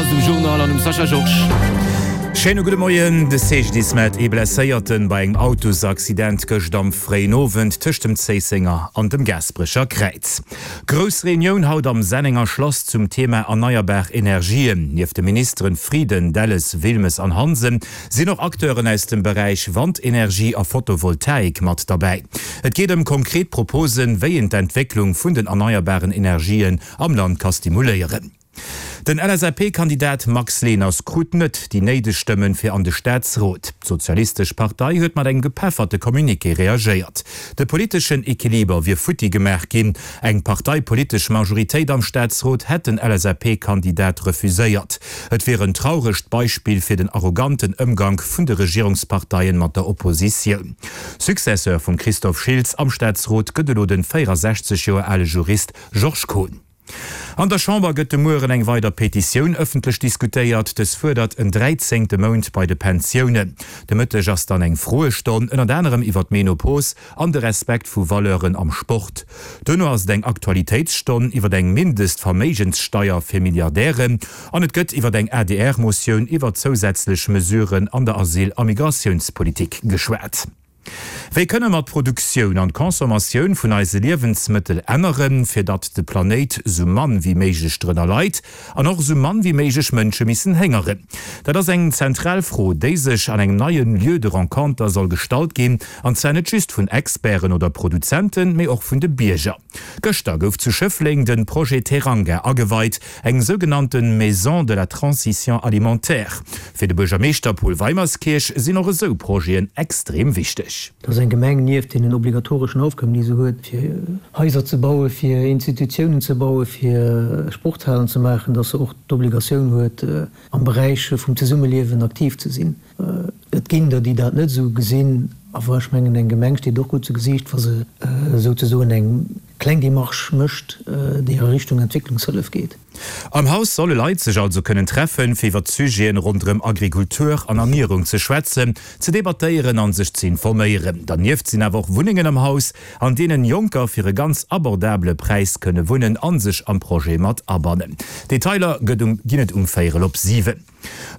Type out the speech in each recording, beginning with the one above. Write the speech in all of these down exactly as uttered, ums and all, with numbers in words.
ass et um Journal an um Sascha Georges. Schéine gudde Moien. De C G D I S mellt ee Blesséierten bei engem Autosaccident gëscht am fréien Owend tëscht dem Zéissenger an dem Gaasperecher Kräiz. Grouss Reunioun haut am Sennenger Schlass zum Thema erneierbar Energien. Nieft de Ministeren Frieden, Delles, Wilmes an Hansen sinn och Acteuren aus dem Beräich Wandenergie a Photovoltaik mat derbäi. Et geet ëm konkret Proposen, wéi een d'Entwécklung vun den erneierbaren Energien am Land ka stimuléieren. Den L S A P-Kandidat Max Leners krut net déi néideg Stëmmen fir an de Staatsrot. D'Sozialistesch Partei huet mat engem gepefferte Communiqué reagéiert. De politeschen Equiliber wier futti gemaach ginn. Eng parteipolitesch Majoritéit am Staatsrot hätt den L S A P-Kandidat refuséiert. Et wier en trauregt Beispill fir den arroganten Ëmgank vun de Regierungsparteien mat der Oppositioun. Successeur vum Christophe Schiltz am Staatsrot gëtt elo de véierasechzeg Joer ale Jurist Georges Kohn. An der Chamber gëtt de Mueren eng weider Petitioun ëffentlech diskutéiert. Dës fuerdert en dräizéngte Mount bei de Pensiounen. De Mëtteg ass dann eng Froestonn, ënnert anerem iwwer d'Menopos an de Respekt vu Valeuren am Sport. Duerno ass et eng Aktualitéitsstonn iwwer eng Mindestverméigenssteier fir Milliardären an et gëtt iwwer eng A D R-Motioun iwwer zousätzlech Mesuren an der Asyl a Migratiounspolitik geschwat. Wéi kënne mer d'Produktioun an d'Consommatioun vun eise Liewensmëttel änneren, fir datt de Planéit sou mann wéi méiglech drënner leit an och sou mann wéi méiglech Mënsche missen héngeren? Dat ass eng zentral Fro, déi sech an engem neie Lieu de rencontre soll gestallt ginn, an zwar net just vun Experten oder Produzenten, mee och vun de Bierger. Gëschter gouf zu Schëffleng de Projet Teranga ageweit, eng sougenannte Maison de la transition alimentaire. Fir de Buergermeeschter Paul Weimerskirch sinn och esou Projeten extrem wichteg. Dass eng Gemeng nieft deenen obligatoreschen Aufgaben, déi se huet, fir Haiser ze bauen, fir Institutiounen ze bauen, fir Sporthalen ze maachen, dass se och d'Obligatioun huet, am Beräich vum Zesummeliewen aktiv ze sinn. Et ginn der, déi dat net esou gesinn, awer ech mengen, eng Gemeng steet och gutt zu Gesiicht, wa se souzesoen eng kleng Demarche mécht, déi a Richtung Entwécklungshëllef geet. Am Haus solle Leit sech also kënnen treffen, fir iwwer Sujeten ronderëm Agrikultur an Ernierung ze schwätzen, ze debattéieren an sech ze informéieren. Dernieft sinn awer och Wunnengen am Haus, an deenen Jonker fir e ganz abordabele Präis kënne wunnen an sech am Projet mat abannen. Detailer gëtt um ginn et um véierel op siwen.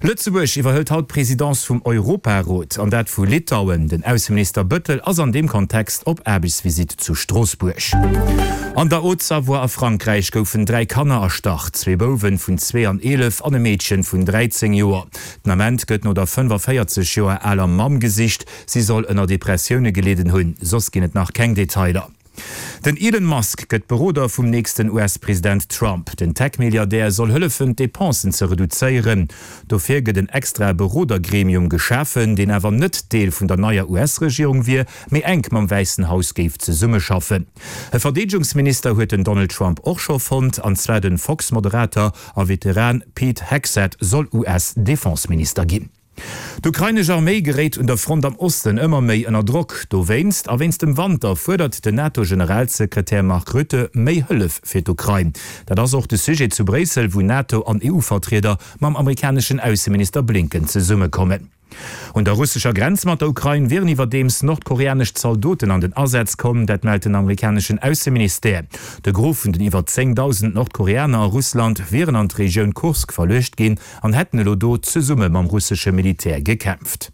Lëtzebuerg iwwerhëlt haut d'Presidence vum Europarot, an dat vu Litauen. Den Ausseminister Bettel ass an deem Kontext op Aarbechtsvisitt zu Stroossbuerg. An der Haute-Savoie a Frankräich goufen dräi Kanner erstach, zwee Bouwen vun zwee an eelef an e Meedchen vun dräizéng Joer. Den Ament gëtt no der fënnefavéierzeg Joer aler Mamm gesicht. Si soll ënner Depressioune gelidden hunn. Soss ginn et nach keng Detailer. Den Elon Musk gëtt Beroder vum nächsten U S-President Trump. Den Tech-Milliardär soll hëllefen, d'Depensen ze reduzéieren. Dofir gëtt en extra Berodergremium geschafen, deen awer net Deel vun der neier U S-Regierung wier, mee enk mam Wäissen Haus géif zesummeschaffen. E Verdeedegungsminister huet den Donald Trump och scho fonnt, an zwar de Fox-Moderator a Veteran Pete Hegseth soll U S-Defenseminister ginn. D'ukrainesch Arméi geréit un der Front am Osten ëmmer méi ënner Drock. Dowéinst a wéinst dem Wanter fuerdert den NATO-Generalsekretär Mark Rutte méi Hëllef fir d'Ukrain. Dat ass och de Sujet zu Bréissel, wou NATO an E U-Vertrieder mam amerikaneschen Ausseminister Blinken zesummekommen. Un der russescher Grenz mat der Ukrain wieren iwwerdeems nordkoreanesch Zaldoten an den Asaz komm, dat mellt den amerikaneschen Ausseministère. De Gros vun den iwwer zéngdausend Nordkoreaner a Russland wieren an d'Regioun Kursk verluecht ginn an hätten elo do zesumme mam russesche Militär gekämpft.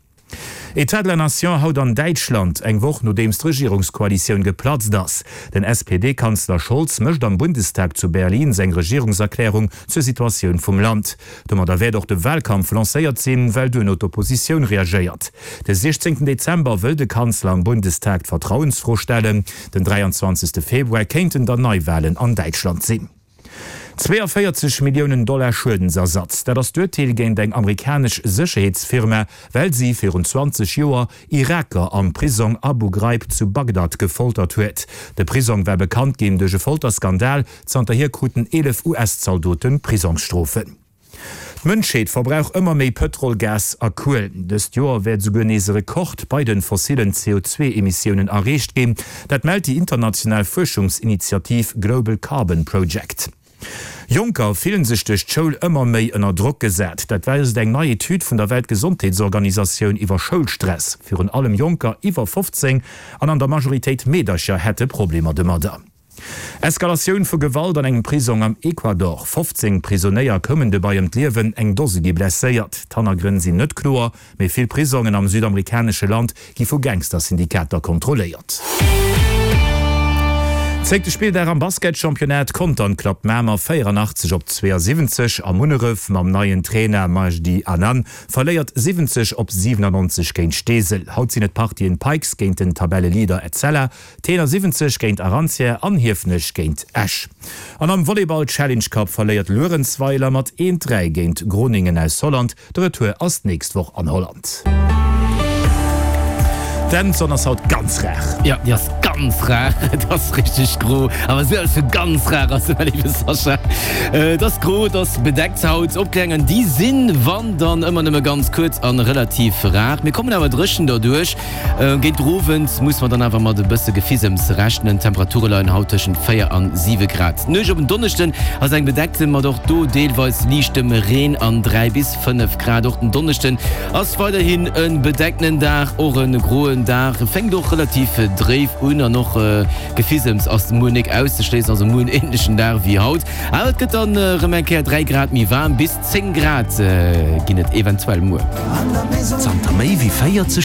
État de la Nation haut an Däitschland, eng Woch nodeems d'Regierungskoalitioun geplatzt ass. Den S P D-Kanzler Scholz mécht am Bundestag zu Berlin seng Regierungserklärung zur Situatioun vum Land. Domadder wäert och de Walkampf lancéiert sinn, well duerno d'Oppositioun reagéiert. De siechzéngten Dezember wëll de Kanzler am Bundestag d'Vertrauensfro stellen. Den dräianzwanzegste Februar kéinten dann Neiwalen an Däitschland sinn. Zweeënvéierzeg Milliounen Dollar Schuedensersatz, dat ass d'Urteel géint eng amerikanesch Sécherheetsfirma, well si virun zwanzeg Joer Iraker am Prisong Abu Ghraib zu Bagdad gefoltert huet. De Prisong war bekannt ginn duerch e Folterskandal, zanterhier kruten eelef U S-Zaldote Prisongsstrofen. D'Mënschheet verbrauch ëmmer méi Pëtrol, Gas a Kuel. Dëst Joer wäert esouguer nees e Rekord bei de fossilen C O zwee Emissiounen erreecht ginn. Dat mellt déi international Fuerschungsinitiativ Global Carbon Project. Jonker fillen sech duerch d'Schoul ëmmer méi ënner Drock gesat. Dat weist eng nei Etüd vun der Weltgesondheetsorganisatioun iwwer Schoulstress. Virun allem Jonker iwwer fofzéng an an der Majoritéit Meedercher hätte Problemer domadder. Eskalatioun vu Gewalt an engem Prisong am Ecuador, fofzéng Prisonéier koumen dobäi ëm d'Liewen, eng Dose gi blesséiert. D'Hannergrënn sinn net kloer, mee vill Prisongen am südamerikanesche Land gi vu Gangster-Syndikater kontrolléiert. Zéngte Spilldag am Basketchampionnat, Contern klappt Mamer véierannachtzeg op zweeasiwwenzeg a Munneref mam neien Trainer Majdi Anan verléiert siwwenzeg op siwenannonzeg géint Steesel. Haut sinn et d'Partien Pikes géint den Tabelleleader Etzella, Tenor siwwenzeg géint Arantia an Hiefenech géint Esch. An am Volleyball Challenge Cup verléiert Luerenzweiler mat eent, dräi géint Groningen aus Holland. De Retour ass d'nächst Woch an Holland. D'Sonn ass haut ganz rar. Jo, déi ass ganz rar. Et ass richteg gro. Awer esou eppes vu ganz rar ass et, mäi léiwe Sascha. Et ass gro, et ass bedeckt haut. Opkläringen, déi sinn, wann dann ëmmer nëmme ganz kuerz a relativ rar. Mir kommen awer dréchen derduerch. Géint den Owend muss mer dann awer mat e bësse Gefisems rechnen. D'Temperature leien haut tëschent véier an siwe Grad. D'Nuecht op en Donneschden ass eng bedeckte mat och do deelweis liichtem Reen an dräi bis fënnef Grad. Och den Donneschden ass weiderhin e bedecktenen Dag, och e groen Dag, fänkt och relativ dréif un an och Gefisems ass muer nik auszeschléissen, also muer en änlechen Dag wéi haut. Awer et gëtt dann erëm eng Kéier dräi Grad méi waarm, bis zéng Grad ginn et eventuell muer. Zanter méi wéi véierzeg